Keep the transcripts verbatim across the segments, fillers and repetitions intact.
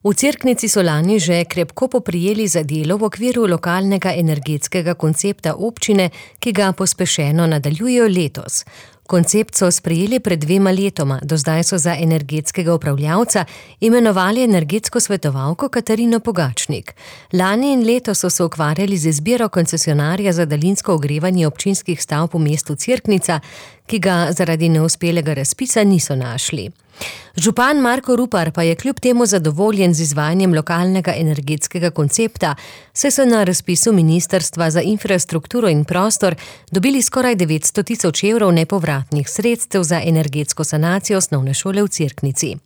V Cerknici so lani že krepko poprijeli za delo v okviru lokalnega energetskega koncepta občine, ki ga pospešeno nadaljujejo letos. Koncept so sprejeli pred dvema letoma, do zdaj so za energetskega upravljavca imenovali energetsko svetovalko Katarino Pogačnik. Lani in letos so se ukvarjali z izbiro koncesionarja za daljinsko ogrevanje občinskih stavb v mestu Cerknica, ki ga zaradi neuspelega razpisa niso našli. Župan Marko Rupar pa je kljub temu zadovoljen z izvajanjem lokalnega energetskega koncepta, saj so na razpisu Ministrstva za infrastrukturo in prostor dobili skoraj devetsto tisoč evrov nepovratnih sredstev za energetsko sanacijo osnovne šole v Cerknici.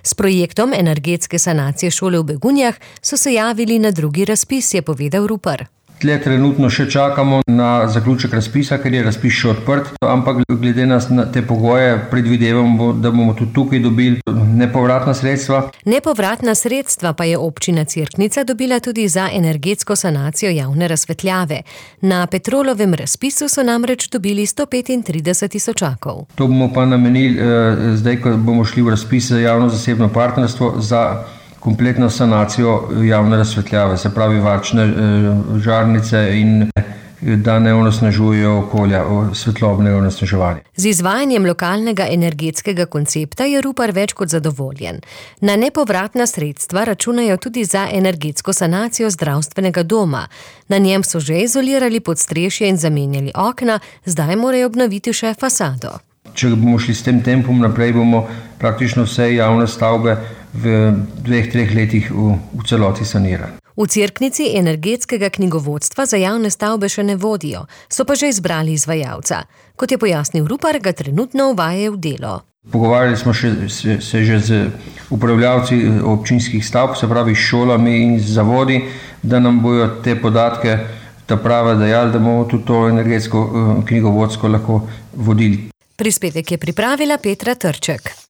S projektom energetske sanacije šole v Begunjah so se javili na drugi razpis, je povedal Rupar. Tle trenutno še čakamo na zaključek razpisa, ker je razpis še odprt, ampak glede na te pogoje predvidevamo, da bomo tudi tukaj dobili nepovratna sredstva. Nepovratna sredstva pa je občina Cerknica dobila tudi za energetsko sanacijo javne razsvetljave. Na Petrolovem razpisu so namreč dobili sto petintrideset tisočakov. To bomo pa namenili eh, zdaj, ko bomo šli v razpis za javno-zasebno partnerstvo za kompletno sanacijo javne razsvetljave, se pravi varčne žarnice in da ne onesnažujejo okolja, svetlobnega onesnaževanja. Z izvajanjem lokalnega energetskega koncepta je Rupar več kot zadovoljen. Na nepovratna sredstva računajo tudi za energetsko sanacijo zdravstvenega doma. Na njem so že izolirali podstrešje in zamenjali okna, zdaj morajo obnoviti še fasado. Če bomo šli s tem tempom naprej, bomo praktično vse javne stavbe v dveh, treh letih v, v celoti sanirali. V Cerknici energetskega knjigovodstva za javne stavbe še ne vodijo, so pa že izbrali izvajalca. Kot je pojasnil Rupar, ga trenutno uvajajo v delo. Pogovarjali smo še, se, se že z upravljavci občinskih stavb, se pravi s šolami in z zavodi, da nam bojo te podatke ta prava dajali, da bomo tudi to energetsko knjigovodsko lahko vodili. Prispevek je pripravila Petra Trček.